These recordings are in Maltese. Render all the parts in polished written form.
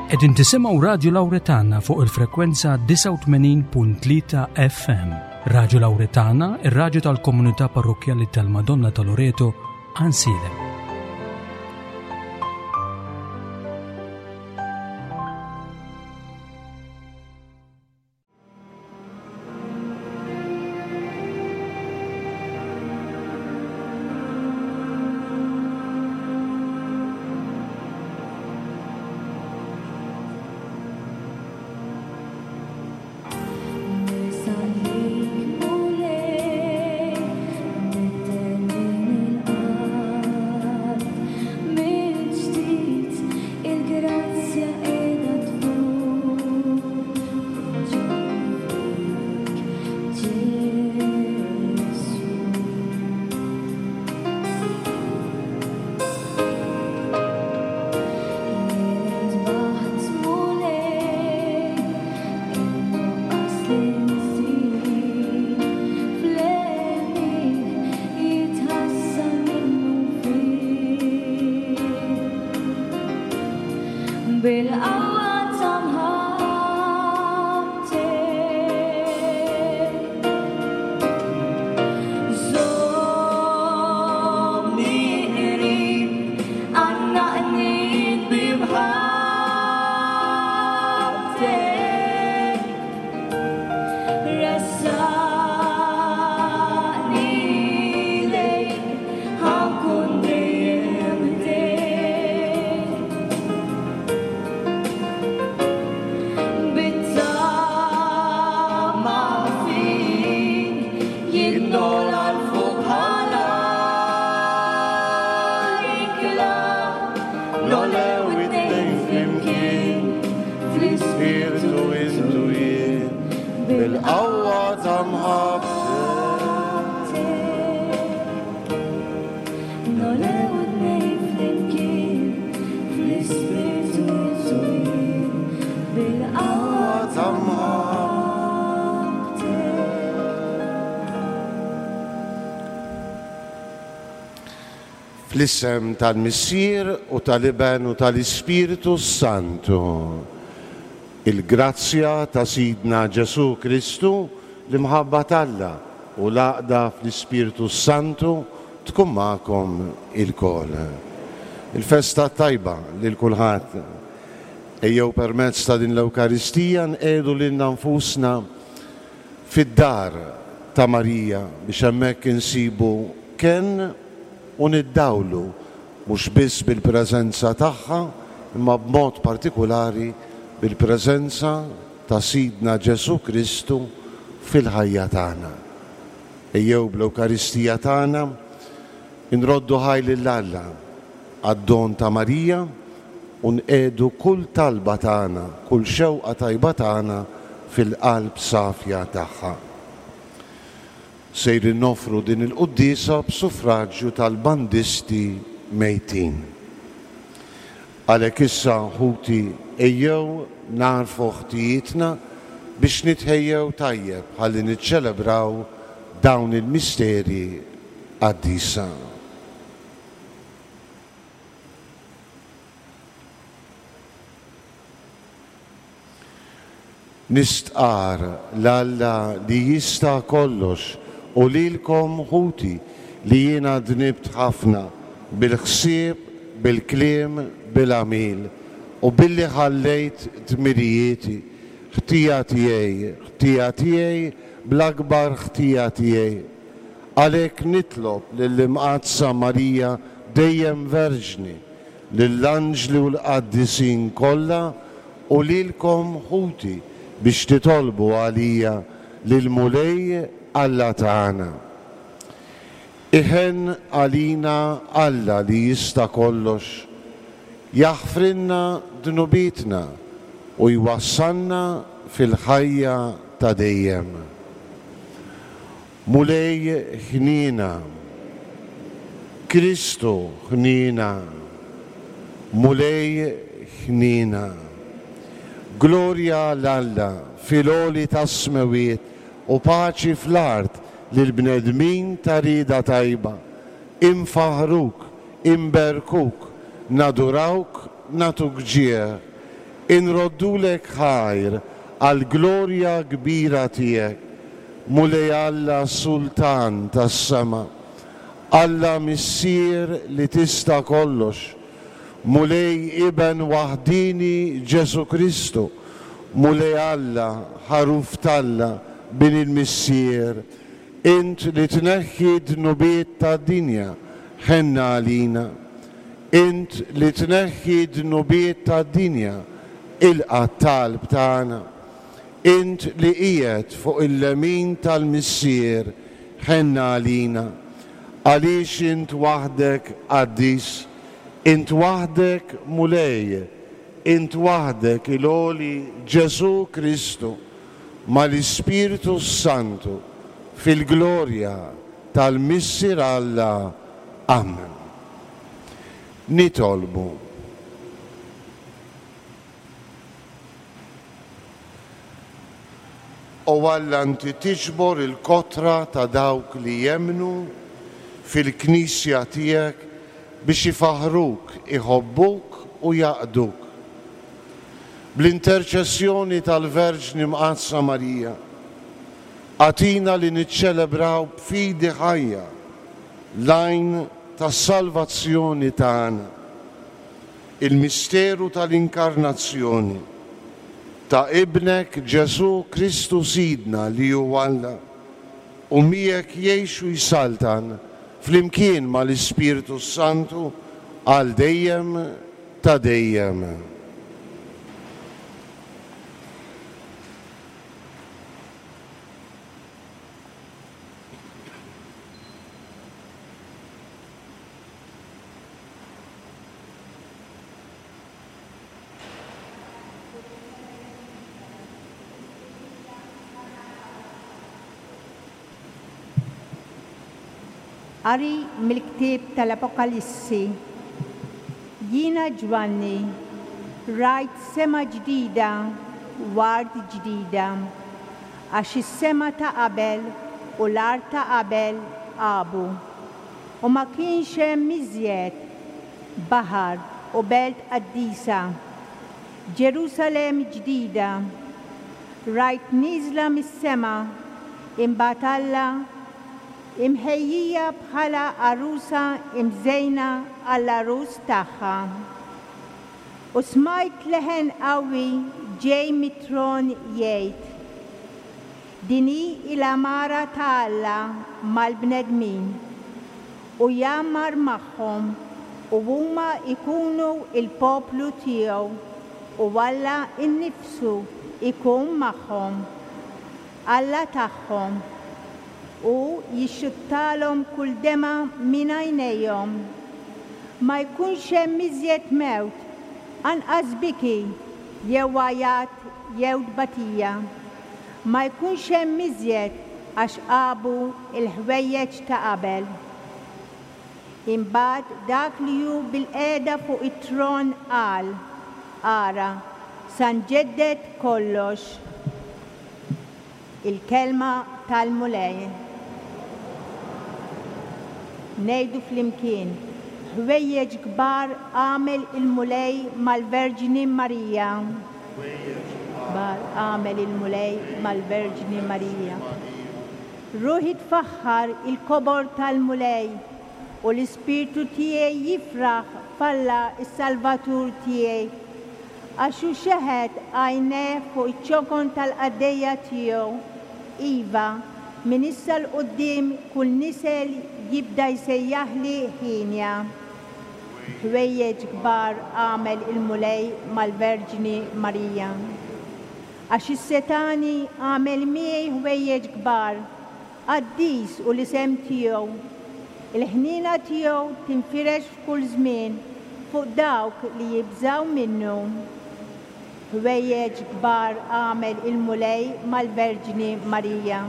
Qegħdin tisimgħu Radju Lawretana fuq il-frekwenza 89.3 FM. Radju Lawretana, ir-radju tal-komunità parrokkjali tal-Madonna ta' Loreto, Ansiedem. Fl-isem tal-Missier u tal-Iben u tal-Ispirtu s-Santu. Il-grazzja ta' Sidna Ġesù Kristu, l-imħabba t'Alla u l-għaqda fl-Ispirtu s-Santu tkun magħkom ilkoll. Il-festa t-tajba lil kulħadd. Ejjew permezz ta' din l-Ewkaristija nqiegħdu lilna nfusna fid-dar ta' Marija biex hemmhekk insibu kenn u niddawlu mhux biss bil-preżenza tagħha imma b'mod partikulari bil-preżenza ta' Sidna Ġesù Kristu fil-ħajja tagħna. Ejjew bl-Ewkaristija tagħna nroddu ħaj lil Alla għad-don ta' Marija u nqiegħdu kull talba tagħna, kull xewqa tajba tagħna fil-qalb safja tagħha. Sejrin noffru din il-quddiesa b'suffraġju tal-bandisti mejtin. Għalhekk issa, ħuti, ejjew nagħrfu ħtijietna biex nitħejjew tajjeb ħalli niċċelebraw dawn il-misteri qaddisa. Nistqarr 'l Alla li jista' kollox u lilkom, ħuti, li jiena dnibt ħafna bil-ħsieb, bil-kliem, bil-għamil, u billi ħallejt dmirijieti, ħtija tiegħi, ħtija tiegħi, bl-akbar ħtija tiegħi. Għalhekk nitlob lill-Imqaddsa Marija dejjem Verġni, lill-anġli u l-qaddisin kollha u lilkom, ħuti, biex titolbu għalija lill-Mulej Alla tagħna. Iħenn għalina Alla li jista' kollox, jaħfrilna dnubietna u jwassalna fil-ħajja ta' dejjem. Mulej ħniena. Kristu ħniena. Mulej ħniena. Glorja 'l Alla fil-għoli tas-smewwiet u paċi fl-art lill-bnedmin ta' rieda tajba. Infaħħruk, inberkuk, nadurawk, nagħtuk ġieħ. Inroddulek ħajr għall-glorja kbira tiegħek, Mulej Alla Sultan tas-sema, Alla Missier li tista' kollox, Mulej Iben waħdieni Ġesù Kristu, Mulej Alla, Ħaruf t'Alla, Bin il-Missier, Int li tneħħi d-dnubiet tad-dinja, ħenna għalina. Int li tneħħi d-dnubiet tad-dinja, ilqa' t-talb tagħna. Int li qiegħed fuq il-lemin tal-Missier, ħenna għalina. Għaliex int waħdek qaddis, int waħdek Mulej, int waħdek il-Għoli Ġesù Kristu, mal-Ispirtu s-Santu, fil-glorja tal-Missier Alla. Amen. Nitolbu. O Alla, inti tiġbor il-kotra ta' dawk li jemmnu fil-Knisja tiegħek biex ifaħħruk, iħobbuk u jaqduk. Bl-interċessjoni tal-Verġni Mqaddsa Marija, agħtina li niċċelebraw b'fidi ħajja l-għajn tas-salvazzjoni tagħna, il-misteru tal-Inkarnazzjoni ta' Ibnek Ġesù Kristu Sidna li hu Alla u miegħek jgħix u jsaltan flimkien mal-Ispirtu s-Santu għal dejjem ta' dejjem. Qari mill-ktieb tal-Apokalissi. Jiena Ġwanni, rajt sema ġdida u art ġdida, għax is-sema ta' qabel u l-art ta' qabel għabu, u ma kienx hemm iżjed baħar u belt qaddisa, Ġerusalemm ġdida, rajt nieżla mis-sema, imbagħad Alla, imħejjija bħala għarusa imżejna għall-għarus tagħha. U smajt leħen qawwi ġej mit-tron jgħid, Din hi l-għamara ta' Alla mal-bnedmin, u jgħammar magħhom, u huma jkunu l-poplu tiegħu, u Alla nnifsu jkun magħhom, Alla tagħhom, u jixxuttalhom kull demgħa minn għajnejhom. Ma jkunx hemm iżjed mewt, anqas biki jew għajat jew tbatija. Ma jkunx hemm iżjed għax għabu l-ħwejjeġ ta' qabel. Imbagħad dak li hu bilqiegħda fuq it-tron qal, Ara, sa nġedded kollox. Il-Kelma tal-Mulej. Ngħidu flimkien, Ħwejjeġ kbar għamel il-Mulej mal-Verġni Marija. Ħwejjeġ kbar għamel il-Mulej mal-Verġni Marija. Ruħi tfaħħar il-kobor tal-Mulej, u l-ispirtu tiegħi jifraħ f'Alla s-Salvatur tiegħi, għax hu xeħet għajnejh fuq iċ-ċokon tal-qaddejja tiegħu, iva, minn issa 'l quddiem kull nisel jibda jsejjaħli hienja. Ħwejjeġ kbar għamel il-Mulej mal-Verġni Marija. Għax is-Setgħani għamel miegħi ħwejjeġ kbar, qaddis hu l-isem tiegħu. Il-ħniena tiegħu tinfirex f'kull żmien fuq dawk li jibżgħu minnu. Ħwejjeġ kbar għamel il-Mulej mal-Verġni Marija.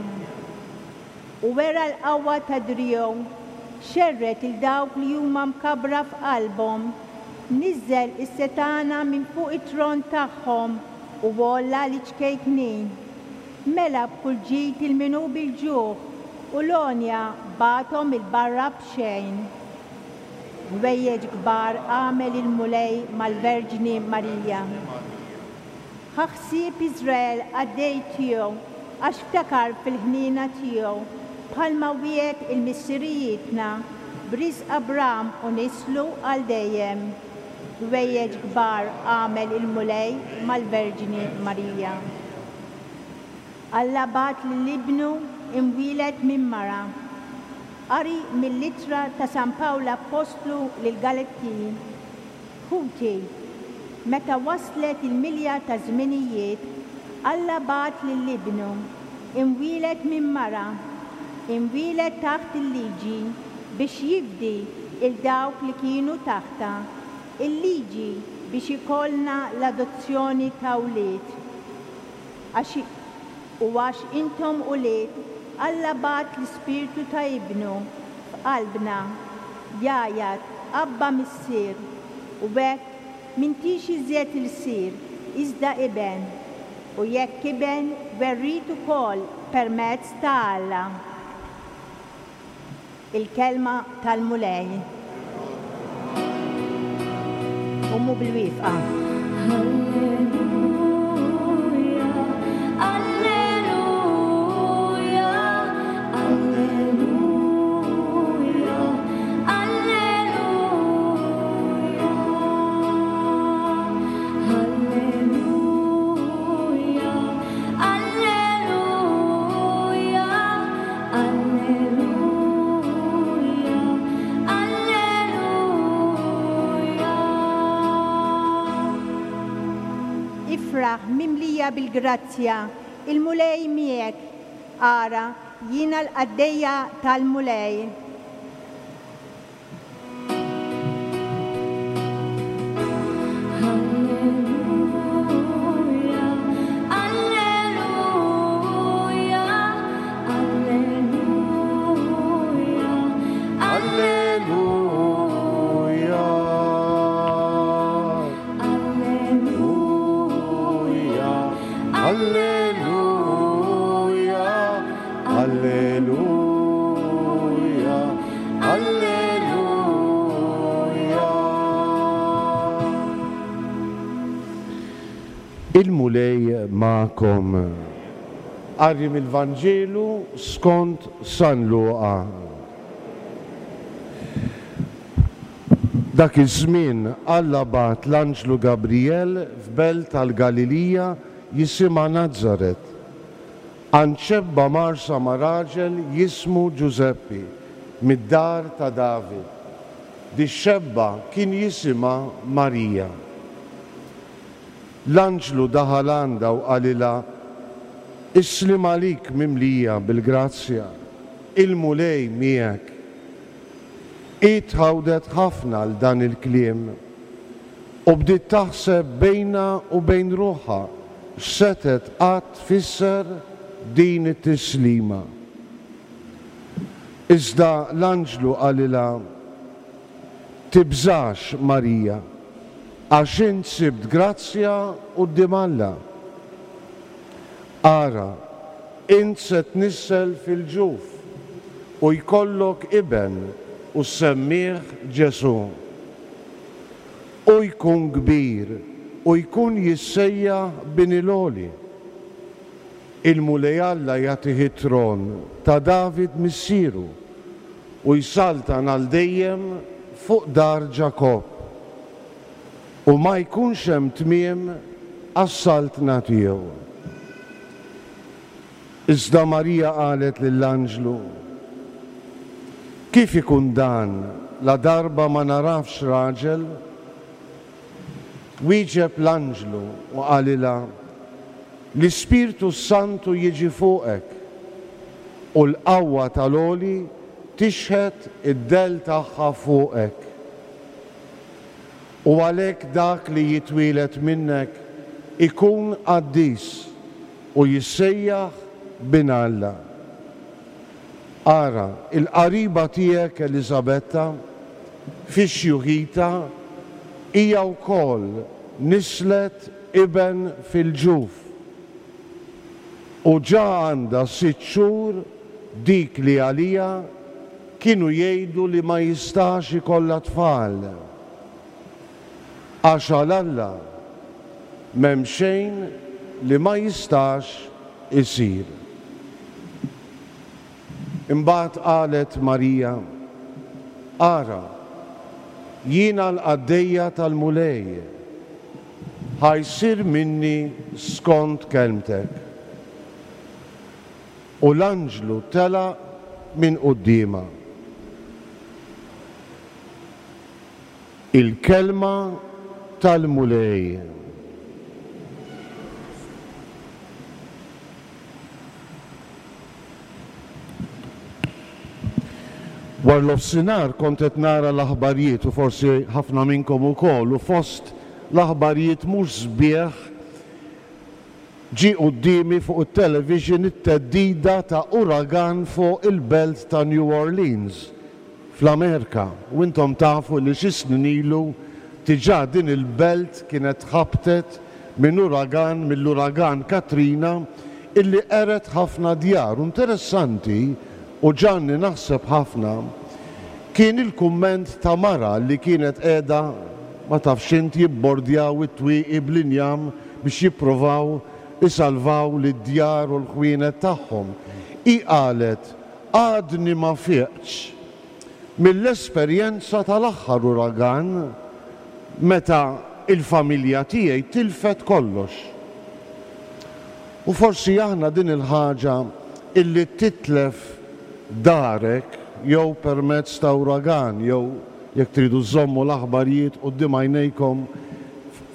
U wera l-qawwa ta' driegħu, xerred 'il dawk li huma mkabbra f'qalbhom, niżżel is-setgħana minn fuq it-tron tagħhom u għolla liċ-ċkejknin. Mela b'kull ġid 'il min hu bil-ġuħ, u l-għonja bagħathom 'il barra b'xejn. Ħwejjeġ kbar għamel il-Mulej mal-Verġni Marija. Ħa ħsieb Iżrael qaddej tiegħu għax ftakar fil-ħniena tiegħu, bħalma wiegħed 'il missirijietna, b'riżq Abram u nislu għal dejjem. Ħwejjeġ kbar għamel il-Mulej mal-Verġni Marija. Alla bagħat lil Ibnu imwieled minn mara. Qari mill-Ittra ta' San Pawl Appostlu lill-Galettin. Ħuti, meta waslet il-milja taż-żminijiet, Alla bagħat lil Ibnu, imwieled minn mara, imwieled taħt il-liġi, biex jifdi 'l dawk li kienu taħtha, il-liġi biex ikollna l-adozzjoni ta' wlied. Għax, u għax intom ulied, Alla bagħat l-Ispirtu ta' Ibnu f'qalbna, jgħajjat, Abba Missier! U hekk m'intix iżjed ilsir, iżda iben, u jekk iben, werriet ukoll permezz ta' Alla. Il-Kelma tal-Mulej. Qumu bil-wieqfa. Alleluja, Alleluja. Ifraħ, mimlija bil-grazzja, il-Mulej miegħek. Ara, jiena l-qaddejja tal-Mulej. Alleluja, Alleluja, Alleluja, Alleluja. Alleluja, Alleluja. Alleluja. Alleluja. Il-Mulej magħkom. Qari mill-Vanġelu skont San Luqa. Dak iż-żmien Alla bagħat l-anġlu Gabrijel f'belt tal-Galilija jisimha Nazaret, għand xebba mgħarrsa ma' raġel jismu Ġużeppi, mid-dar ta' David. Dix-xebba kien jisimha Marija. L-anġlu daħal għandha u qalilha, Is-sliem għalik mimlija bil-grazzja, il-Mulej miegħek. Hi tħawdet ħafna għal dan il-kliem u bdiet taħseb bejnha u bejn ruħha x'setgħet qatt tfisser din it-tislima. Iżda l-anġlu qalilha, Tibżax, Marija, għax int sibt grazzja quddiem Alla. Ara, int se tnissel fil-ġuf u jkollok iben u ssemmih Ġesù. Hu jkun kbir u jkun jissejjaħ Bin il-Għoli. Il-Mulej Alla jagħtih it-tron ta' David missieru u jsaltan għal dejjem fuq dar Ġakobb, u ma jkunx hemm tmiem għas-saltna tiegħu. Iżda Marija qalet lill-anġlu, Kif ikun dan, ladarba ma nagħrafx raġel? Wieġeb l-anġlu u qalilha, L-Ispirtu s-Santu jiġi fuqek, u l-qawwa tal-Għoli tixħet id-dell tagħha fuqek. U għalhekk dak li jitwieled minnek ikun qaddis u jissejjaħ Bin Alla. Ara, il-qariba tiegħek Eliżabetta, fi xjuħitha, hija wkoll nisslet iben fil-ġuf, u ġa għandha sitt xhur dik li għaliha kienu jgħidu li ma jistax ikollha tfal. Għax għal Alla m'hemm xejn li ma jistax isir. Imbagħad qalet Marija, Ara, jiena l-qaddejja tal-Mulej, ħa jsir minni skont kelmtek. U l-anġlu telaq minn quddiemha. Il-Kelma tal-Mulej. Warnofsinhar kont qed nara l-aħbarjiet u forsi ħafna minnkom ukoll u fost l-aħbarjiet mhux sbieħ ġie quddiemi fuq it-television it-theddida ta' uragan fuq il-belt ta' New Orleans fl-Amerika u intom tafu li xi snin ilu diġà din il-belt kienet tħabtet minn uragan, mill-uragan Katrina illi qered ħafna djar u interessanti u ġagħalni naħseb ħafna kien il-kumment ta' mara li kienet qiegħda ma tafx int jibbordjaw it-twieqi bl-injam biex jipprovaw isalvaw lid-djar u l-ħwienet tagħhom. Hi qalet Għadni ma fiqtx mill-esperjenza tal-aħħar uragan meta l-familja tiegħi tilfet kollox. U forsi aħna din il-ħaġa illi titlef darek jew permezz ta' uragan jew jekk tridu żżommu l-aħbarijiet quddiem għajnejkom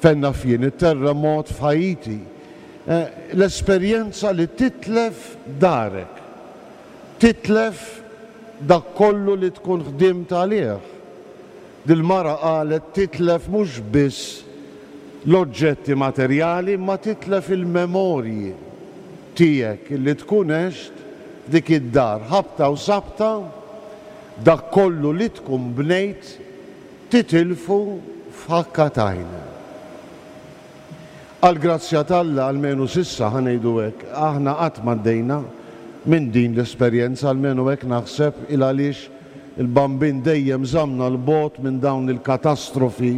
fejn naf jien it-terremot f'Haiti. L-esperjenza li titlef darek. Titlef dak kollu li tkun ħdimt għalih. Dil-mara qalet titlef mhux biss l-oġġetti materjali imma titlef il-memorji tiegħek illi tkun għext f'dik id-dar. Ħabta u sabta dak kollu li tkun bnejt titilfu f'ħakka t'għajn. Għall-grazzja t'Alla, almenu s'issa, ħa ngħidu hekk, aħna qatt m'għaddejna minn din l-esperjenza, almenu hekk naħseb, il għaliex il-Bambin dejjem żammna 'l bogħod minn dawn il-katastrofi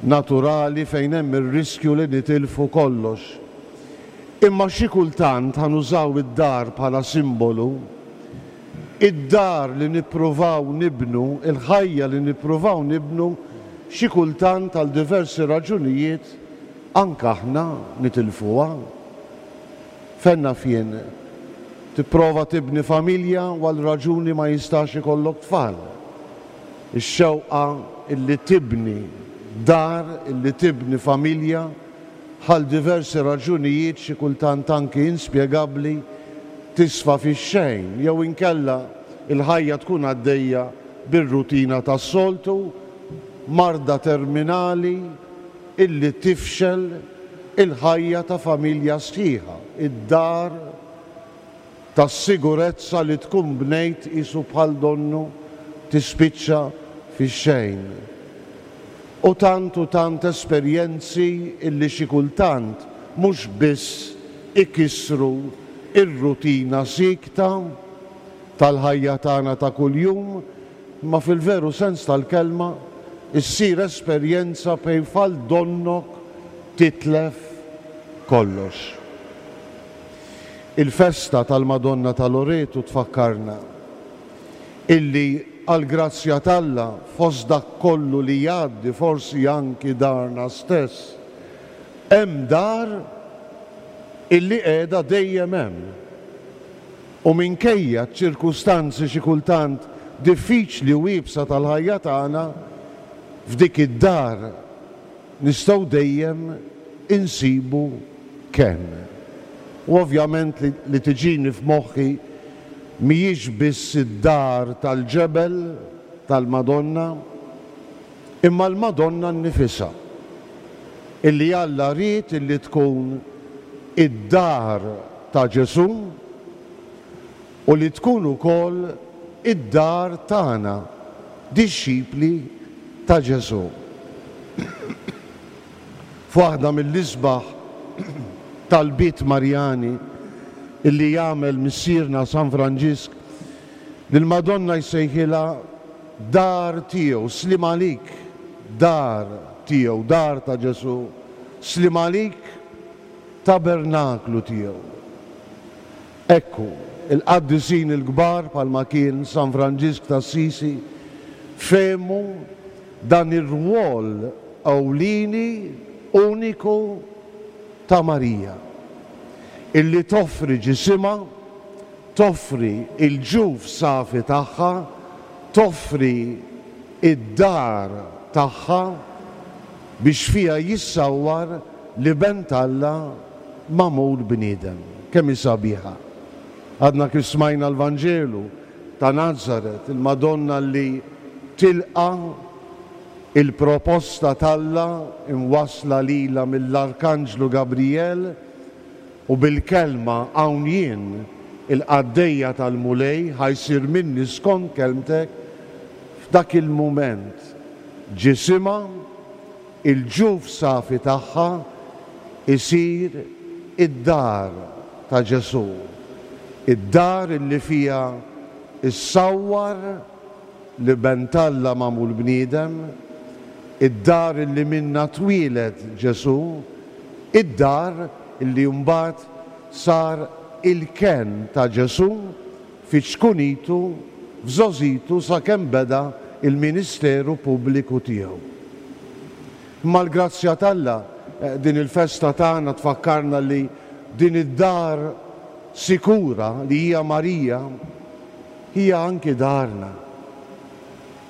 naturali fejn hemm ir-riskju li nitilfu kollox. Imma xi kultant, ħa nużaw id-dar bħala simbolu, Id-dar li nippruvaw nibnu, il-ħajja li nippruvaw nibnu, xi kultant għal diversi raġunijiet anke aħna nitilfuha. Fejn naf jien, tipprova tibni familja u għal raġuni ma jistax ikollok tfal. Ix-xewqa illi tibni dar, illi tibni familja, għal diversi raġunijiet xi kultant anki inspjegabbli, tisfa fix-xejn jew inkella l-ħajja tkun għaddejja bir-rutina tas-soltu, marda terminali illi tifxel il-ħajja ta' familja sħiħa, id-dar tas-sigurezza li tkun bnejt qisu bħal donnu tispiċċa fix-xejn. U tant u tant esperjenzi illi xi kultant mhux biss ikissru r-rutina siekta tal-ħajja tagħna ta' kuljum imma fil-veru sens tal-kelma issir esperjenza fejn bħal donnok titlef kollox. Il-festa tal-Madonna ta' Loretu tfakkarna illi għall-grazzja t'Alla fost dak kollu li jgħaddi forsi anki darna stess, hemm dar illi qiegħda dejjem hemm. U minkejja ċ-ċirkustanzi xi kultant diffiċli u iebsa tal-ħajja tagħna, f'dik id-dar nistgħu dejjem insibu kenn. U ovvjament li li tiġini f'moħħi mhijiex biss id-dar tal-ġebel tal-Madonna, imma l-Madonna nnifisha, illi Alla ried illi tkun id-dar ta' Ġesù u li tkun ukoll id-dar tagħna, dixxipli ta' Ġesù. F'waħda mill-isbaħ talbiet Marjani illi jagħmel Missierna San Franġisk, lill-Madonna jsejħilha dar tiegħu, sliem għalik, dar tiegħu, dar ta' Ġesù, sliem għalik. tabernaklu tiegħu. Hekk hu, il-qaddisin il-kbar bħalma kien San Franġisk t'Assisi fehmu dan ir-rwol ewlieni uniku ta' Marija, illi toffri ġisimha, toffri l-ġuf safi tagħha, toffri d-dar tagħha biex fiha jissawwar l-Iben t'Alla magħmul bniedem. Kemm hi sabiħa! Għadna kif smajna l-Vanġelu ta' Nazaret, il-Madonna li tilqa' il-proposta t'Alla imwassla lilha mill-Arkanġlu Gabrijel u bil-kelma hawn jien, il-qaddejja tal-Mulej, ħa jsir minni skont kelmtek, f'dak il-mument ġisimha, il-ġuf safi tagħha isir id-dar ta' Ġesù, id-dar illi fiha ssawwar l-Iben t'Alla magħmul bniedem, id-dar illi minnha twieled Ġesù, id-dar illi mbagħad sar il-kenn ta' Ġesù fi ċkunitu, f'żgħożitu sakemm beda l-ministeru pubbliku tiegħu. Imma l-grazzja t'Alla, din il-festa tagħna tfakkarna li din id-dar sikura li hija Marija, hija anki darna.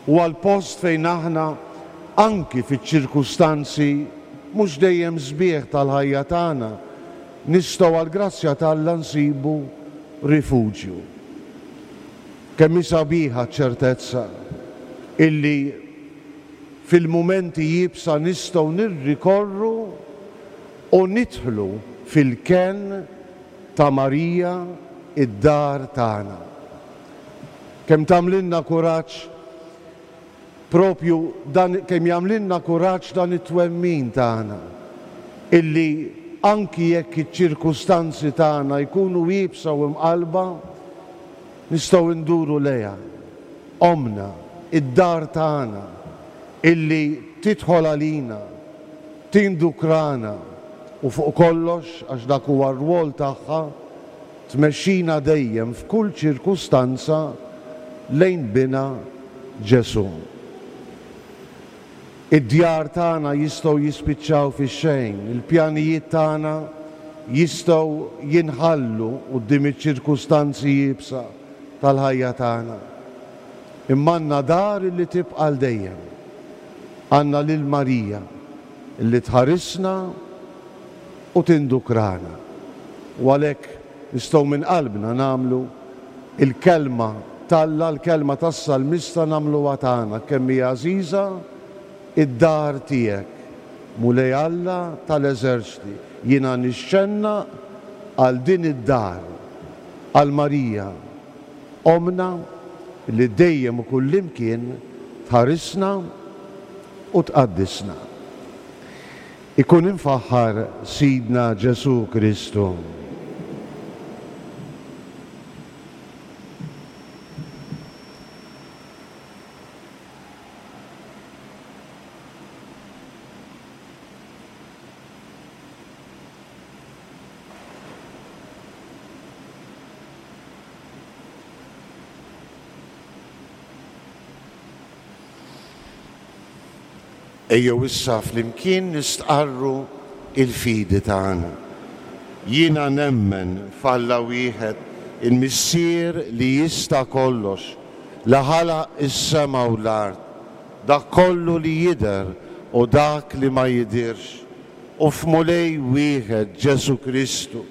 Huwa l-post fejn aħna anki fiċ-ċirkustanzi mhux dejjem sbieħ tal-ħajja tagħna, nistgħu għall-grazzja t'Alla nsibu rifuġju. Kemm hi sabiħa ċ-ċertezza illi fil-mumenti iebsa nistgħu nirrikorru u nidħlu fil-kenn ta' Marija id-dar tagħna. Kemm tagħmlilna kuraġġ propju dan kemm jagħmlilna kuraġġ dan it-twemmin tagħna illi anki jekk iċ-ċirkustanzi tagħna jkunu iebsa u mqallba, nistgħu nduru lejha, Ommna, id-dar tagħna, illi tidħol għalina, tindukrana u fuq kollox, għax dak huwa r-rwol tagħha, tmexxina dejjem f'kull ċirkustanza lejn Binha Ġesù. Id-djar tagħna jistgħu jispiċċaw fix-xejn, il-pjanijiet tagħna jistgħu jinħallu quddiem iċ-ċirkustanzi iebsa tal-ħajja tagħna. Imma għandna dar li tibqa' għal dejjem. Għandna lil Marija li tħarisna u tindukrana. U għalhekk nistgħu minn qalbna nagħmlu l-kelma t'Alla, l-kelma tas-salmista nagħmluha tagħna, kemm hi għażiża d-dar tiegħek, Mulej Alla tal-eżerċti, jiena nixxennaq għal din id-dar, għal Marija, Ommna li dejjem u kullimkien tħarisna u tqaddisna. Ikun imfaħħar Sidna Ġesù Kristu. Ejjew issa flimkien nistqarru l-fidi tagħna. Jiena nemmen f'Alla wieħed, il-Missier li jista' kollox, li ħalaq is-sema u l-art, dak kollu li jidher u dak li ma jidhirx, u f'Mulej wieħed, Ġesù Kristu,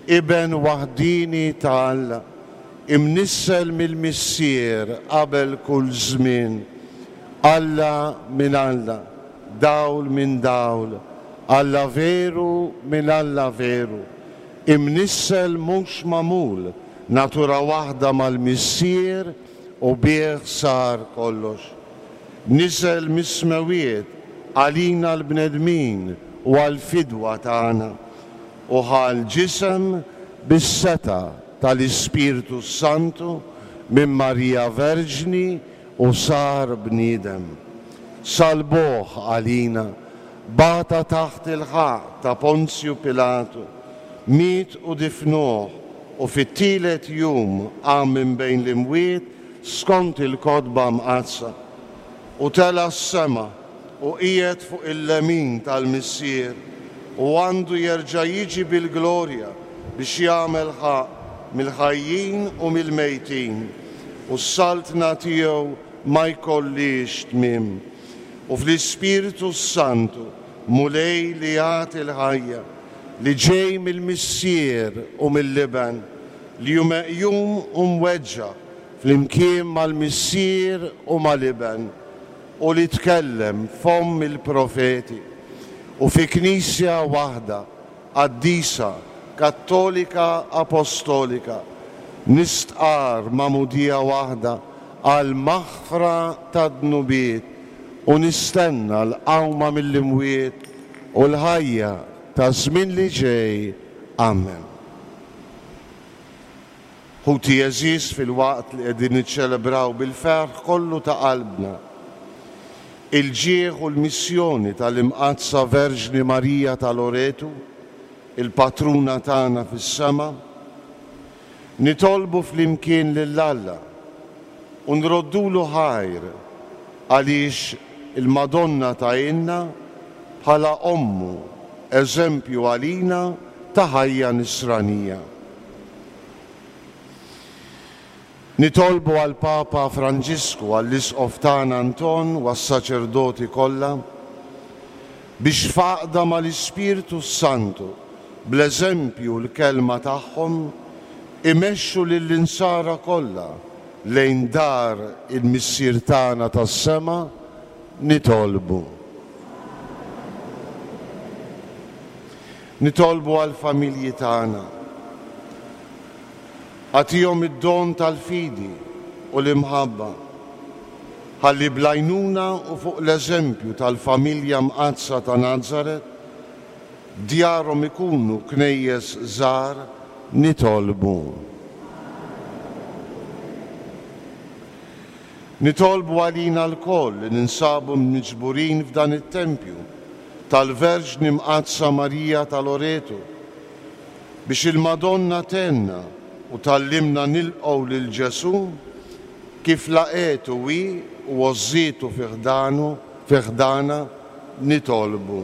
Iben waħdieni ta' Alla, imnissel mill-Missier qabel kull żmien, Alla minn Alla, dawl minn dawl, Alla veru minn Alla veru, imnissel mhux magħmul, natura waħda mal-Missier u bih sar kollox. Niżel mis-smewwiet għalina l-bnedmin u għall-fidwa tagħna, u ħa l-ġisem bis-setgħa tal-Ispirtu s-Santu minn Marija Verġni u sar bniedem. Salbuh għalina, bata taħt il-ħaqq ta' Ponzju Pilatu. miet u difnuh, u fit-tielet jum qam minn bejn l-imwiet skont il-Kotba Mqaddsa, u tela' s-sema u qiegħed fuq il-lemin tal-Missier, u għandu jerġa' jiġi bil-glorja biex jagħmel ħaqq mill-ħajjin u mill-mejtin, u s-saltna tiegħu ma jkollhiex tmiem. U fl-Ispirtu s-Santu, Mulej li jagħti l-ħajja, li ġej mill-Missier u mill-Iben, li hu meqjum u mweġġa' flimkien mal-Missier u mal-Iben, u li tkellem fomm il-profeti, u fi Knisja waħda, qaddisa, kattolika, apostolika, nistqarr magħmudija waħda għall-maħfra tad-dnubiet u nistenna l-qawma mill-imwiet u l-ħajja taż-żmien li ġej. Amen. Ħuti għeżież, filwaqt li qegħdin niċċelebraw bil-ferħ kollu ta' qalbna il-ġieħ u l-missjoni tal-Imqaddsa Verġni Marija ta' Loretu, il-Patruna tagħna fis-sema, nitolbu flimkien lil Alla u nroddulu ħajr għaliex il-Madonna tgħinna bħala Ommu, eżempju għalina ta' ħajja nisranija. Nitolbu għall-Papa Franġisku, għall-Isqof tagħna Anton u għas-saċerdoti kollha, biex f'għaqda mal-Ispirtu s-Santu, bl-eżempju u l-kelma tagħhom, imexxu lill-insara kollha lejn dar il-Missier tagħna tas-sema, nitolbu. Nitolbu għall-familji tagħna. Agħtihom id-don tal-fidi u l-imħabba, ħalli bl-għajnuna u fuq l-eżempju tal-familja mqaddsa ta' Nazaret, djarhom ikunu knejjes żgħar, nitolbu. Nitolbu għalina lkoll li ninsabu miġburin f'dan it-tempju tal-Verġni Mqaddsa Marija ta' Loreto, biex il-Madonna tgħinna u tgħallimna nilqgħu lil Ġesù kif laqgħetu hi u għożżietu fi ħdanu, fi ħdanha, nitolbu.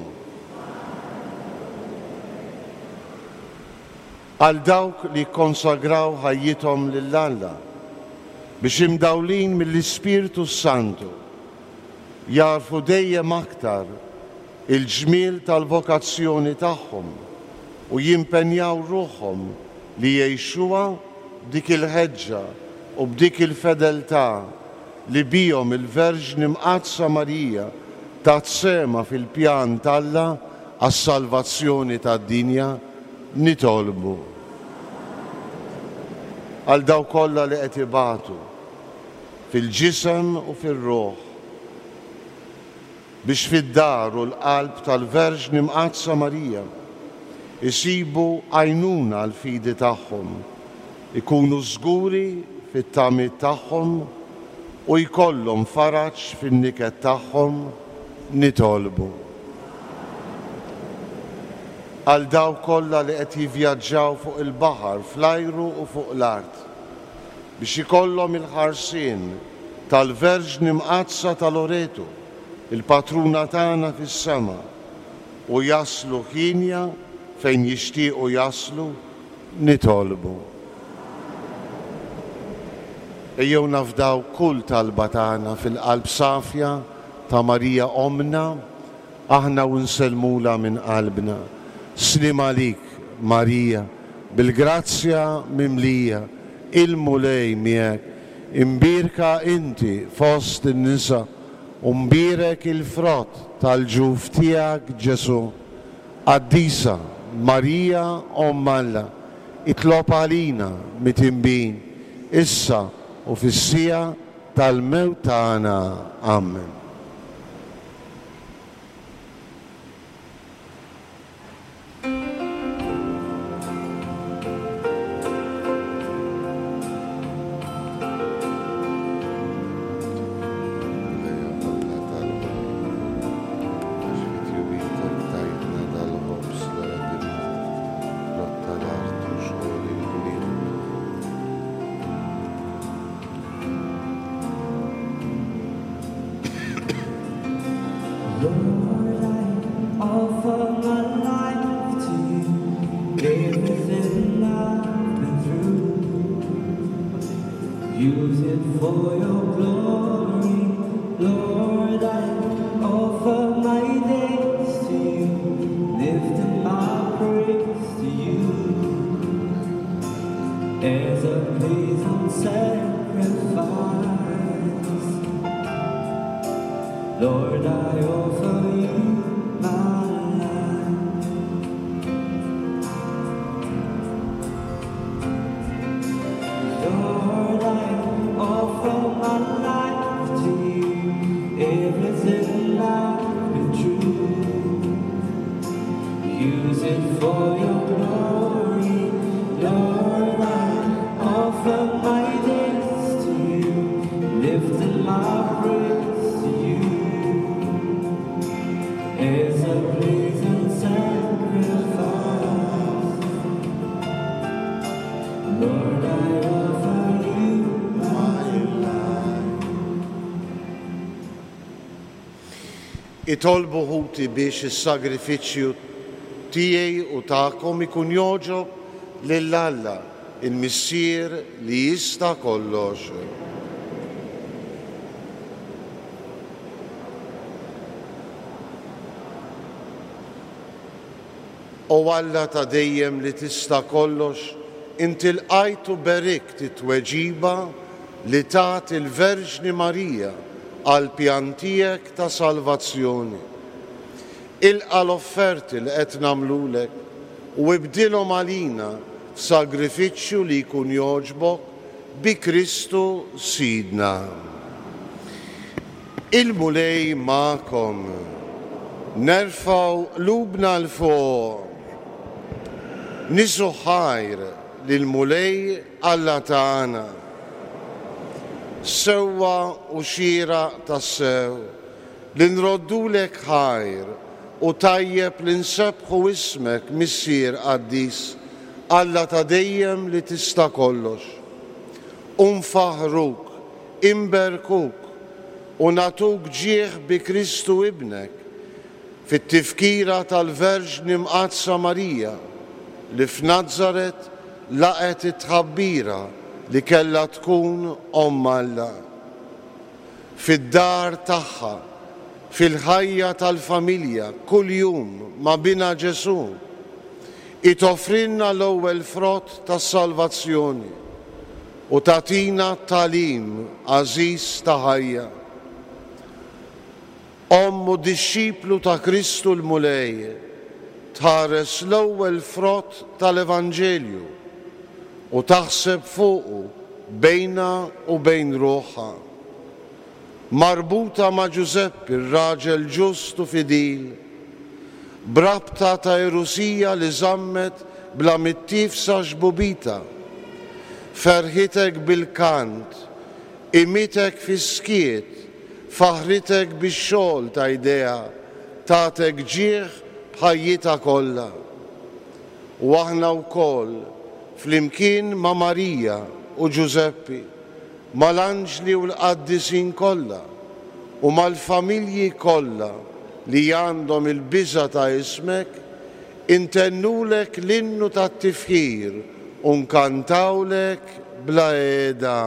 Għal dawk li kkonsagraw ħajjithom lil Alla, biex imdawlin mill-Ispirtu s-Santu, jagħrfu dejjem aktar il-ġmiel tal-vokazzjoni tagħhom u jimpenjaw ruħhom li jgħixuha b'dik il-ħeġġa u b'dik il-fedeltà li bihom il-Verġni Mqaddsa Marija tat sehemha fil-pjan t'Alla għas-salvazzjoni tad-dinja, nitolbu għal dawk kollha li qed ibatu fil-ġisem u fir-ruħ, biex fid-dar u l-qalb tal-Verġni Mqaddsa Marija jsibu għajnuna għall-fidi tagħhom, ikunu żguri fit-tamiet tagħhom u jkollhom faraġ fin-niket tagħhom, nitolbu. Għal dawk kollha li qed jivvjaġġaw fuq il-baħar, fl-ajru u fuq l-art, biex ikollhom il-ħarsien tal-Verġni Mqaddsa ta' Loreto, il-Patruna tagħna fis-sema, u jaslu hienja fejn jixtiequ jaslu, nitolbu. Ejjew nafdaw kull talba tagħna fil-qalb safja ta' Marija Ommna, aħna u nsellmulha minn qalbna. Sliem għalik, Marija, bil-grazzja mimlija, il-Mulej miegħek. Imbierka inti fost in-nisa, u mbierek il-frott tal-ġuf tiegħek, Ġesù. Qaddisa Marija Omm Alla, itlob għalina mitinbin, issa u fis-siegħa tal-mewt tagħna. Amen. Lord, I offer my life to you, everything I've been through. Use it for your glory, Lord. I offer my days to you, lifting my praise to you as a pleasing sacrifice. Lord, I offer you my life. Lord, I offer my life to you, everything I've been through. Use it for your glory, Lord. I offer my days to you, lifting my praise to you as a pleasing sacrifice. Lord, I offer you my life. Itolbu ħuti biex is-sagrifiċċju tiegħi u tagħkom ikun jogħġob lil Alla, il-Missier li jista' kollox. O Alla ta' dejjem li tista' kollox, inti lqajt u berikt it-tweġiba li tat il-Verġni Marija għall-pjan tiegħek ta' salvazzjoni. Ilqa' l-offerti li qed nagħmlulek u ibdilhom għalina f'sagrifiċċju li jkun jogħġbok bi Kristu Sidna. Il-Mulej magħkom. Nerfgħu qlubna 'l fuq. Niżżu ħajr lill-Mulej Alla tagħna. Sewwa u xieraq tassew li nroddulek ħajr u tajjeb li nsebbħu ismek Missier qaddis, Alla ta' dejjem li tista' kollox. U nfaħħruk, inberkuk u nagħtuk ġieħ bi Kristu Ibnek, fit-tifkira tal-Verġni Mqaddsa Marija li f'Nazaret laqgħet it-tħabbira li kellha tkun Omm Alla. Fid-dar tagħha, fil-ħajja tal-familja kuljum ma' Binha Ġesù, hi toffrilna l-ewwel frott tas-salvazzjoni u tagħtina tagħlim għażiż ta' ħajja. Omm u dixxiplu ta' Kristu l-Mulej, tħares l-ewwel frott tal-Evanġelju u taħseb fuqu bejnha u bejn ruħha. Marbuta ma' Ġużeppi r-raġel ġust u fidil, b'rabta ta' għerusija li żammet bla mittiefsa xbubitha, ferħitek bil-kant, qimitek fis-skiet, faħħritek bix-xogħol ta' jdejha, tagħtek ġieħ b'ħajjitha kollha. U aħna wkoll, flimkien ma' Marija u Ġużeppi, mal-anġli u l-qaddisin kollha, u mal-familji kollha li għandhom il-biża' ta' ismek, intennulek l-innu tat-tifħir u nkantawlek bla qiegħda.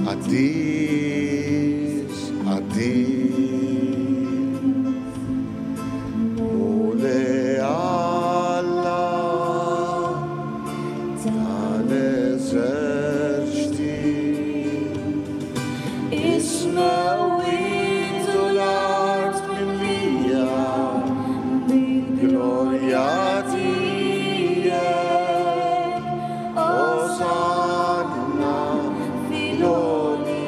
Qaddis, qaddis, Mulej Alla tal-eżerċti. Is-smewwiet u l-art mimlija bil-glorja tiegħek. Osanna fil-għoli.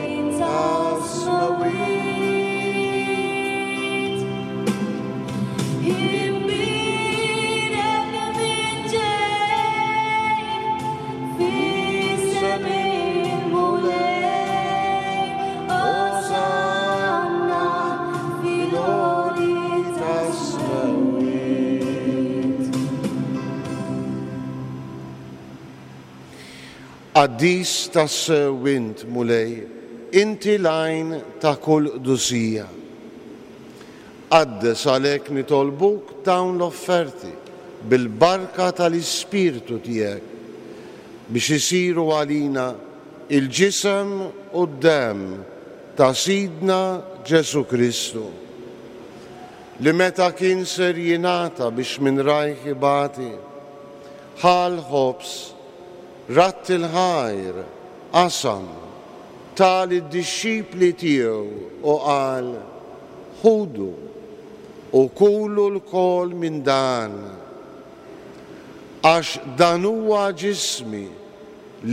Qaddis tassew int, Mulej, inti l-għajn ta' kull qdusija. Qaddes għalhekk nitolbuk dawn l-offerti bil-barka tal-Ispirtu tiegħek, biex isiru għalina l-ġisem u d-demm ta' Sidna Ġesù Kristu, li meta kien ser jingħata biex minn rajh ibati, ħa l-ħobż, radd il-ħajr, qasam, ta lid-dixxipli tiegħu u qal, Ħudu u kulu lkoll minn dan, għax dan huwa ġismi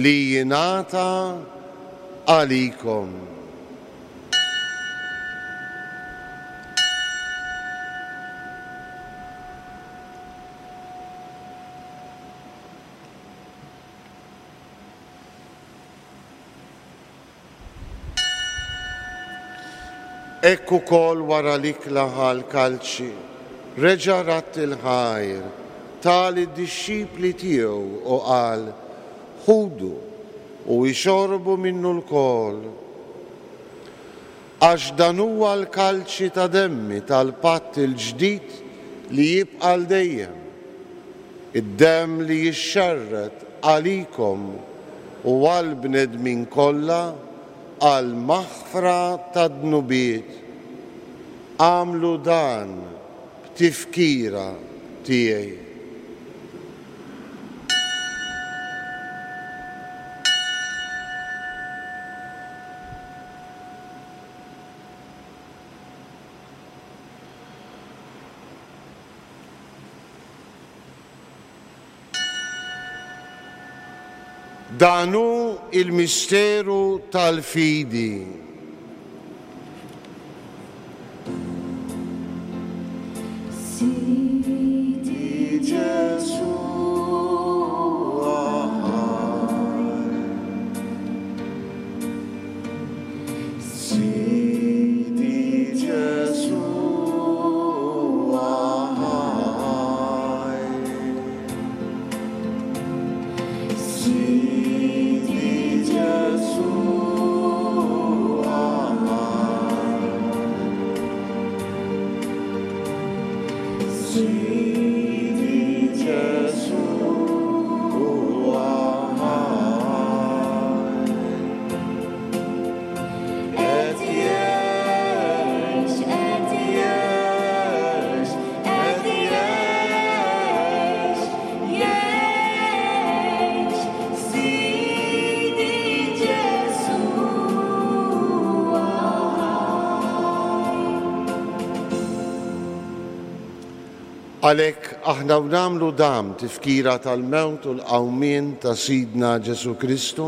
li jingħata għalikom. Hekk ukoll wara l-ikla ħa l-kalċi, reġa' radd il-ħajr, ta lid-dixxipli tiegħu u qal, Ħudu u ixorbu minnu lkoll. Għax dan huwa l-kalċi ta' demmi tal-patt il-ġdid li jibqa' għal dejjem, id-demm li jixxerred għalikom u għall-bnedmin kollha għall-maħfra tad-dnubiet. Agħmlu dan b'tifkira tiegħi. Dan hu l-misteru tal-fidi. Sidi Ġesù ħaj. Sidi Ġesù ħaj. Sidi Ġesù ħaj. Sidi Ġesù ħaj. Qed jgħix, qed jgħix, qed jgħix, jgħix, Sidi Ġesù ħaj. Għalhekk aħna u nagħmlu dam tifkira tal-mewt u l-qawmien ta' Sidna Ġesù Kristu,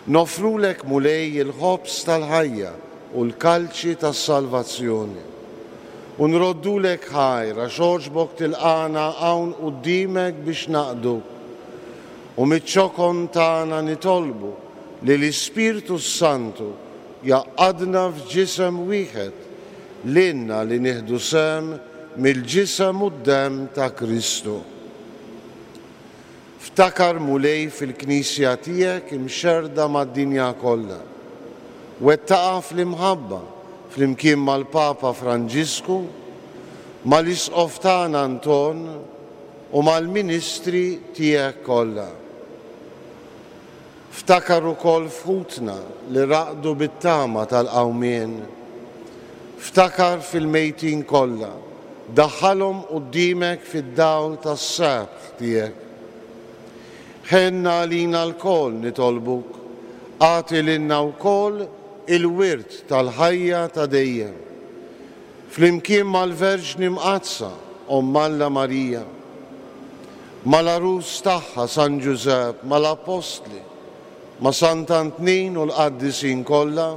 noffrulek Mulej il-ħobż tal-ħajja u l-kalċi tas-salvazzjoni. U nroddulek ħajr għax għoġbok tilqagħna hawn quddiemek biex naqduk. U miċ-ċokon tagħna nitolbu li l-Ispirtu s-Santu jgħaqqadna f'ġisem wieħed lilna li nieħdu sehem mill-ġisem u d-demm ta' Kristu. Ftakar, Mulej, fil-Knisja tiegħek imxerrda mad-dinja kollha. Wettaqha fl-imħabba flimkien mal-Papa Franġisku, mal-Isqof tagħna Anton u mal-ministri tiegħek kollha. Ftakar ukoll f'ħutna li raqdu bit-tama tal-qawmien. Ftakar fil-mejtin kollha, daħħalhom quddiemek fid-dawl tas-sebħ tiegħek. Ħenna għalina lkoll, nitolbuk, agħti lilna wkoll il-wirt tal-ħajja ta' dejjem. Flimkien mal-Verġni Mqaddsa, Omm Alla Marija, mal-Għarus tagħha San Ġużepp, mal-Appostli, ma' Sant'Antnin u l-qaddisin kollha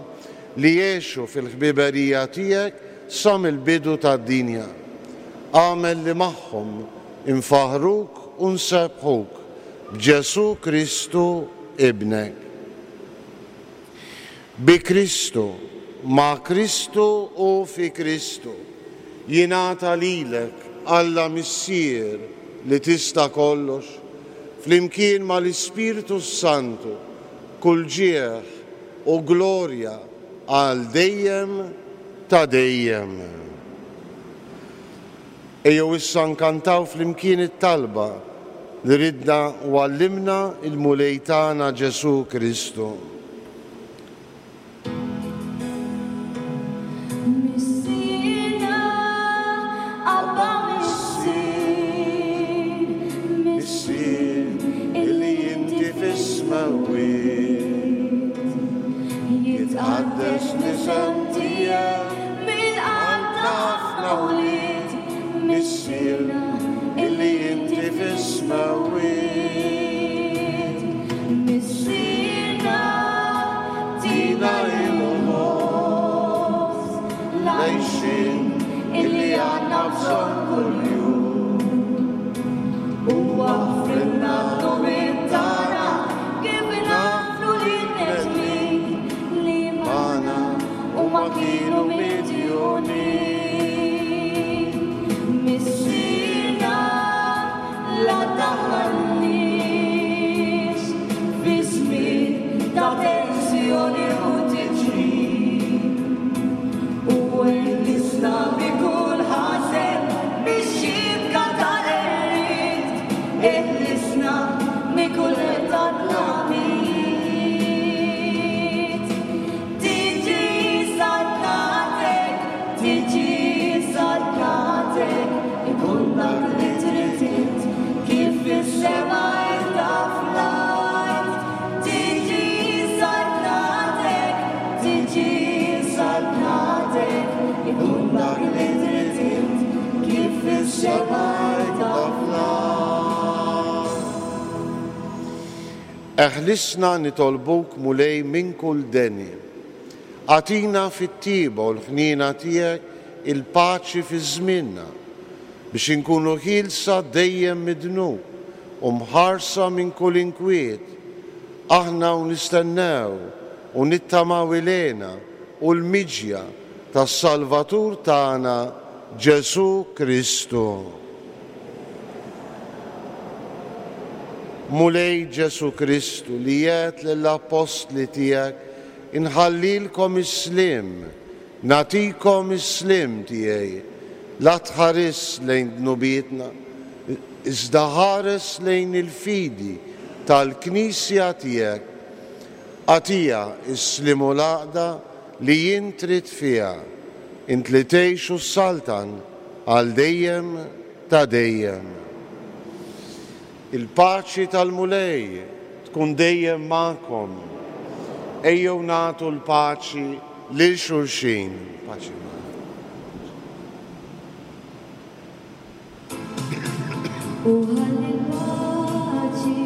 li għexu fil-ħbiberija tiegħek sa mill-bidu tad-dinja. Agħmel li magħhom infaħħruk u nsebbħuk b'Ġesù Kristu Ibnek. Bi Kristu, ma' Kristu u fi Kristu, jingħata lilek, Alla Missier li tista' kollox, flimkien mal-Ispirtu s-Santu, kull ġieħ u glorja għal dejjem ta' dejjem. Ejjew issa nkantaw flimkien it-talba li ridna u għallimna l-Mulej tagħna Ġesù Kristu. Missierna, Abba Missier, Missier illi inti fis-smewwiet, jitqaddes l-isem tiegħek mill-qalb ta' ħafna wlied, Missierna illi inti fis-smewwiet. Missierna, Tina il-ħobż l-għixien illi għandna bżonn kuljum. U aħfrilna d-dnubiet tagħna kif naħfru lin-nedmin li Magħna huma kienu midjunin. Missierna, la taħallniex fi żmien ta' tensjoni u tiġrib. U eħlisna minn kull ħażen mix-xibka tal-qerried, eħlisna minn kull tadlamiet. Tiġi saltatek, tiġi saltatek, ikun dak li trid int, kif fis-sema qiegħda fl-art. Tiġi saltatek, tiġi saltatek, ikun dak li trid int, kif fis-sema qiegħda fl-art. Eħlisna nitolbuk Mulej minn kull deni. Agħtina fit-tjieba u l-ħniena tiegħek il-paċi fi żmienna, biex inkunu ħielsa dejjem mid-dnub u mħarsa minn kull inkwiet. Aħna u nistennew u nittamaw ilena u l-miġja tas-Salvatur tagħna Ġesù Kristu. Mulej Ġesù Kristu li għedt lill-appostli tiegħek inħallilkom is-sliem, nagħtikom is-sliem tiegħi, la tħares lejn dnubietna, iżda ħares lejn il-fidi tal-Knisja tiegħek. Agħtiha s-sliem u l-għaqda li int trid fiha, int li tgħix u ssaltan għal dejjem ta' dejjem. Il-paċi tal-Mulej tkun dejjem magħkom. Ejjew nagħtu l-paċi lil xulxin. Paċi magħkom. U ħalli l-paċi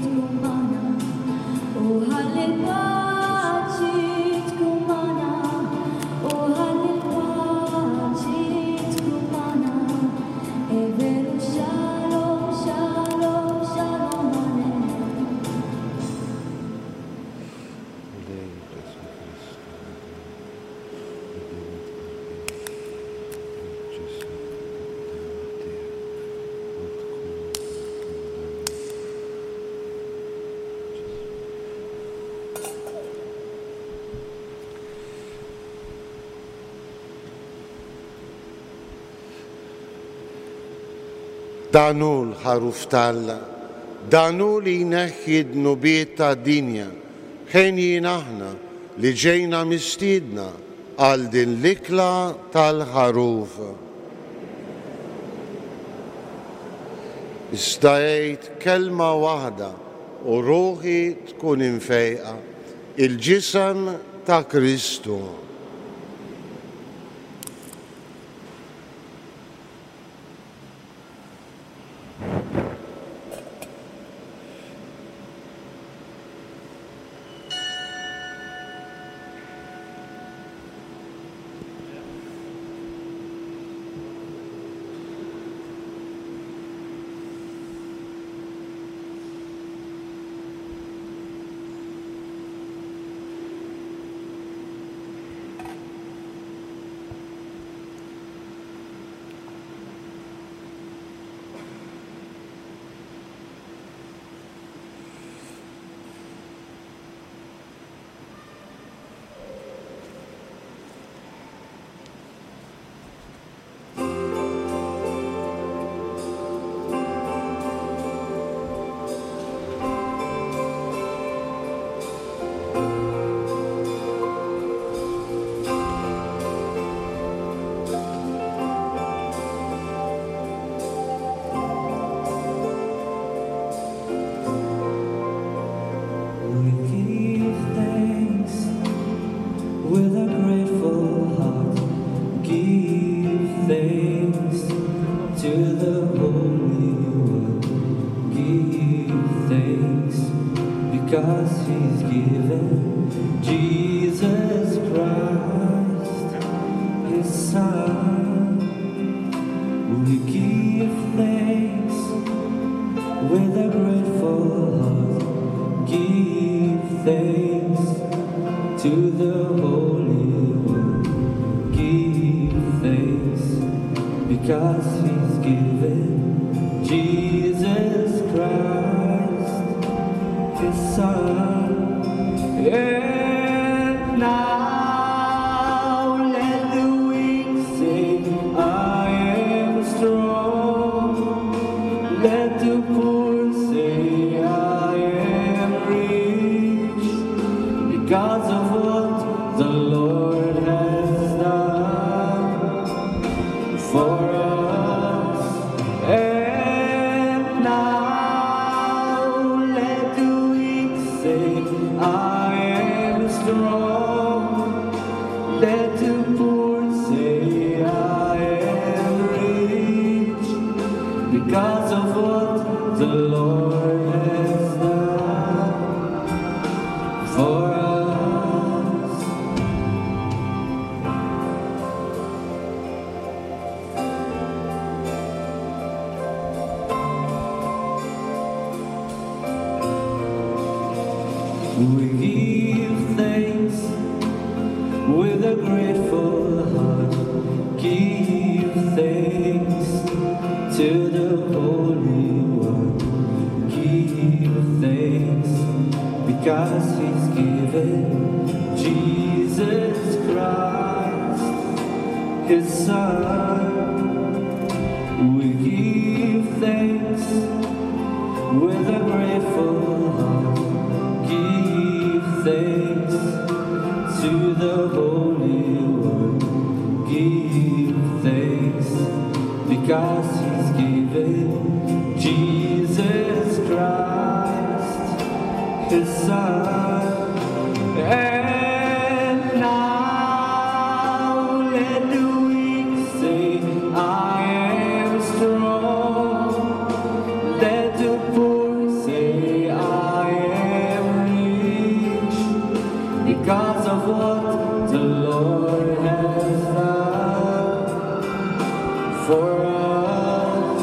tkun magħna, u ħalli l-paċi tkun magħna, u ħalli l-paċi tkun magħna. È vero shalom, shalom, shalom aleichem. Mulej Ġesù Kristu, Dan hu l-ħaruf t'Alla, dan hu li jneħħi d-dnubiet tad-dinja. Ħenjin aħna li ġejna mistiedna għal din l-ikla tal-ħaruf. Iżda għid kelma waħda u ruħi tkun imfejqa, il-ġisem ta' Kristu. because he's given Jesus Christ, his Son. We give thanks with a grateful heart. Give thanks to the Holy One. Give thanks because he's given Jesus Christ, his Son. And now let the weak say, I am strong. Let the poor say, I am rich. Because of what the Lord has done for us. And now let the weak say, I am strong. Let the poor say, I am rich. Because of what the Lord has done for us. We give thanks with a grateful heart. Give thanks to the Holy One. Give thanks because He's given Jesus Christ, His Son. We give thanks with a grateful heart. Give thanks to the Holy One. Give thanks because He's given Jesus Christ, His Son. And now let the weak say, I am strong. Let the poor say, I am rich. Because of what the Lord has done for us.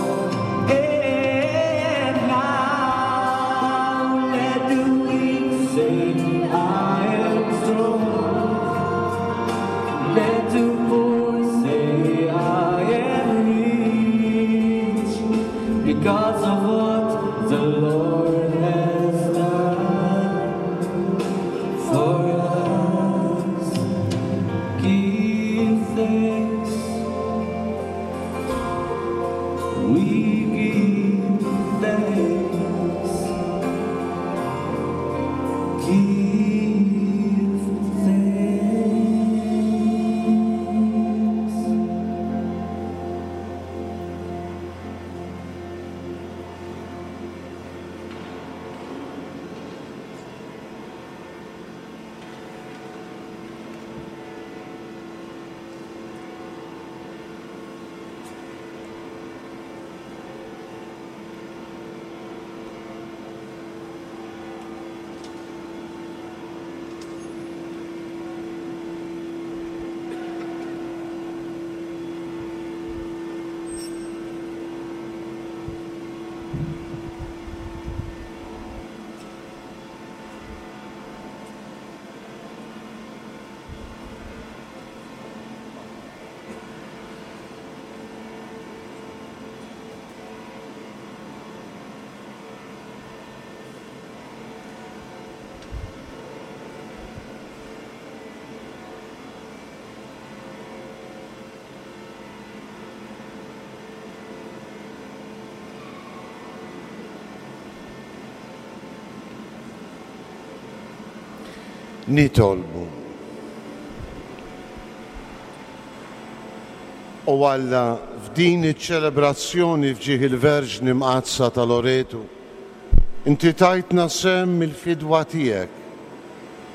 And now let the weak say, I am strong. Let the poor say, I am rich. Because of what the Lord has done for us. Give thanks. We give thanks. Give thanks. Nitolbu. O Alla, f'din iċ-ċelebrazzjoni f'ġieħ il-Verġni Mqaddsa ta' Loretu, inti tajtna sehem mill-fidwa tiegħek.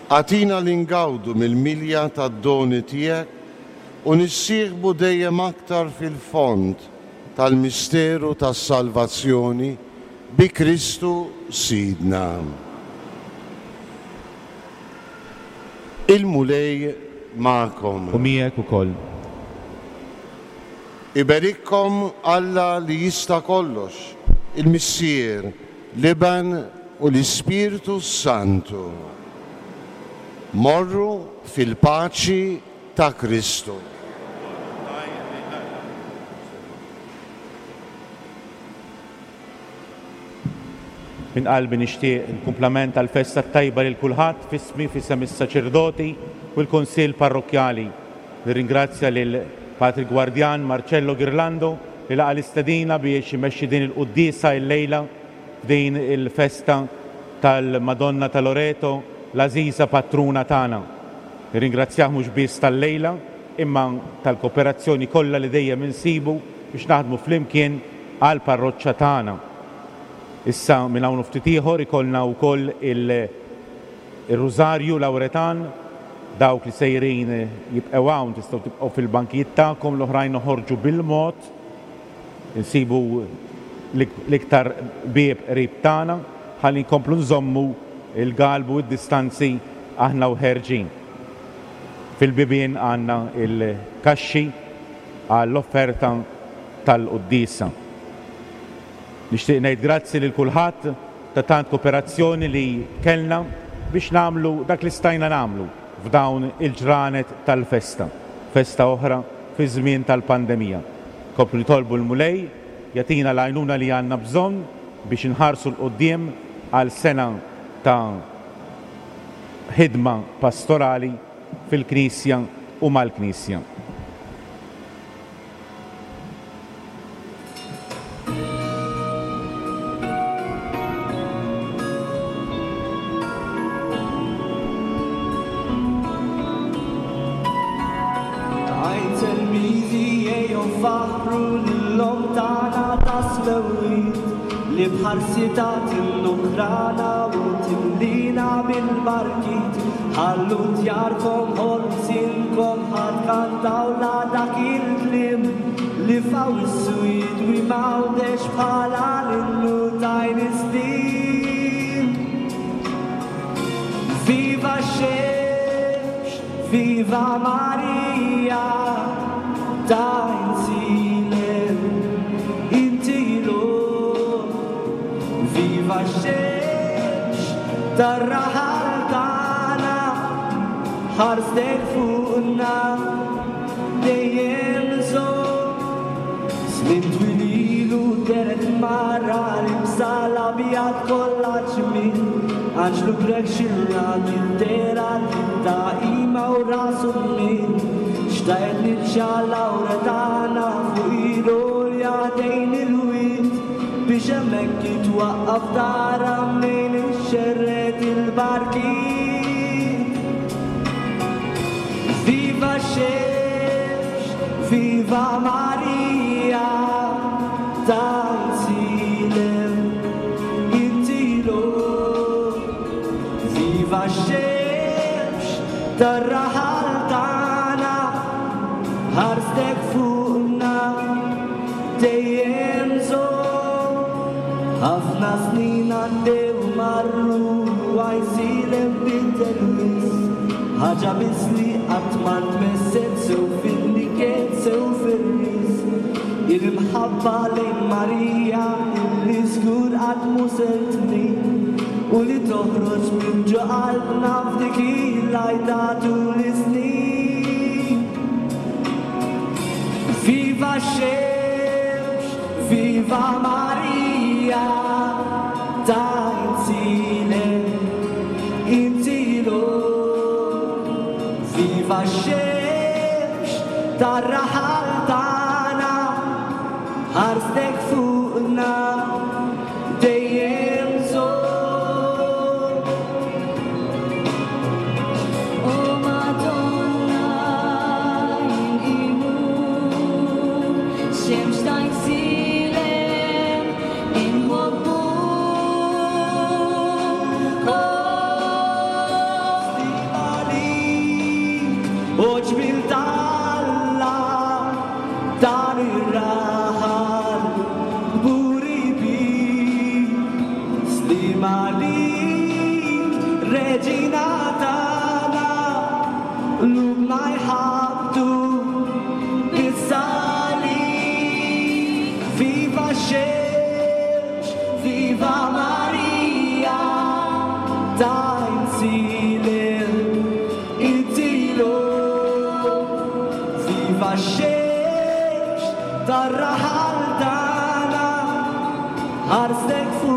Agħtina li ngawdu mill-milja tad-doni tiegħek u nissieħbu dejjem aktar fil-fond tal-misteru tas-salvazzjoni bi Kristu Sidna. Il-Mulej magħkom. U miegħek ukoll. Iberikkom Alla li jista' kollox, il-Missier, l-Iben u l-Ispirtu s-Santu. Morru fil-paċi ta' Kristu. Minn qalbi nixtieq il-kumplament tal-festa t-tajba lil kulħadd f'ismi, f'isem is-saċerdoti u l-Kunsill Parrokkjali. Nirringrazzja lil Patri Gwardjan Marcello Ghirlando li laqa' l-istedina biex imexxi din il-quddiesa illejla f'din il-festa tal-Madonna ta' Loreto, l-għażiża patruna tagħna. Nirringrazzjah mhux biss tal-lejla imma tal-koperazzjoni kollha li dejjem insibu biex naħdmu flimkien għall-parroċċa tagħna. Issa minn hawn u ftit ieħor ikollna wkoll il-Rużarju Lawretan. Dawk li sejrin jibqgħu hawn tistgħu tibqgħu fil-bankijiet tagħkom, l-oħrajn noħorġu bil-mod, insibu l-iktar bieb qrib tagħna ħalli nkomplu nżommu l-galbu u d-distanzi aħna u ħerġin. Fil-bibien għandna l-kaxxi għall-offerta tal-quddiesa. Nixtieq ngħid grazzi lil kulħadd ta' tant koperazzjoni li kellna biex nagħmlu dak li stajna nagħmlu f'dawn il-ġranet tal-festa, festa oħra fiż-żmien tal-pandemija. Nkomplu nitolbu l-Mulej jagħtina l-għajnuna li għandna bżonn biex inħarsu 'l quddiem għal sena ta' ħidma pastorali fil-Knisja u mal-Knisja. B'ħarsitha tinnukrana u timlina bil-barkiet. Ħallu djarkom, ħolsinkom, ħa tkantaw la dak il-kliem li f'Awwissu jidwi m'Għawdex bħala l-innu t'Għajn is-Snin. Viva x-xemx, viva Marija, t'Għajn Silem, inti l-omm. Viva x-xemx tar-raħal tagħna, ħarstek fuqna dejjem żomm. Snin twil ilu dehret mara libsa l-abjad kollha ġmiel, anġlu Grek xi ra mid-dehra ta' qima u rasu miel. Xtaqet niċċa Lawretana fuq il-għolja ħdejn il-wied. Biex hemmhekk jitwaqqaf tara mnejn ixxerred il-barkiet. Viva x-xemx, viva Marija, t'Għajnsilem, inti l-omm. Viva x-xemx tar-raħal tagħna, ħarstek fuqna. Dejjem żomm. Ħafna snin għaddew u marru u Għajnsielem biddel wisq. Ħaġa biss li qatt ma ntmesset sew fin-niket sew fir-risq. Hi l-imħabba lejn Marija illi żgur qatt mhu ser tmil u li toħroġ minn ġo qalbna f'dik il-għajta tul is-snin. Viva x-xemx, viva Marija, t'Għajnsilem, inti l-omm. Viva x-xemx tar-raħal tagħna, ħarstek fuqna dejjem żomm. O Madonna inqimuk, xemx ta' Għajnsilem inħobbuk. Stima għalik, o ġmiel t'Alla, dan ir-raħal kburi bik. Stima għalik, Reġina tagħna, Għajsilem Itilu Viva x-xemx tar-raħal tagħna Ħarstek fuq.